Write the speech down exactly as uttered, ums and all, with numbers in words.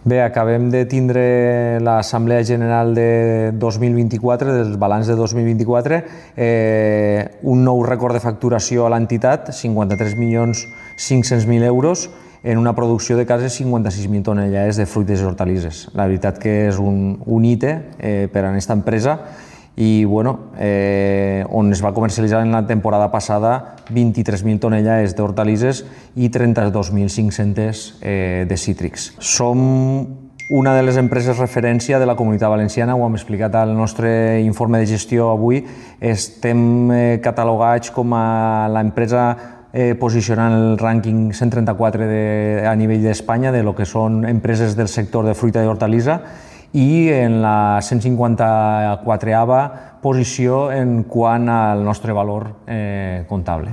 Bé, acabem de tindre l'Assemblea General de dos mil vint-i-quatre, del balanç de dos mil vint-i-quatre, eh, un nou rècord de facturació a l'entitat, cinquanta-tres milions cinc-cents mil euros, en una producció de quasi cinquanta-sis mil tonelades de fruites i hortalisses. La veritat que és un, un hite eh, per a aquesta empresa i bueno, eh, on es va comercialitzar en la temporada passada vint-i-tres mil tonelades d'hortalisses i trenta-dos mil cinc-cents eh, de cítrics. Som una de les empreses referència de la Comunitat Valenciana, ho hem explicat al nostre informe de gestió avui. Estem eh, catalogats com a l'empresa eh, posicionant el rànquing cent trenta-quatre de, a nivell d'Espanya de lo que són empreses del sector de fruita i hortalissa, i en la cent cinquanta-quatrava posició en quant al nostre valor eh, comptable.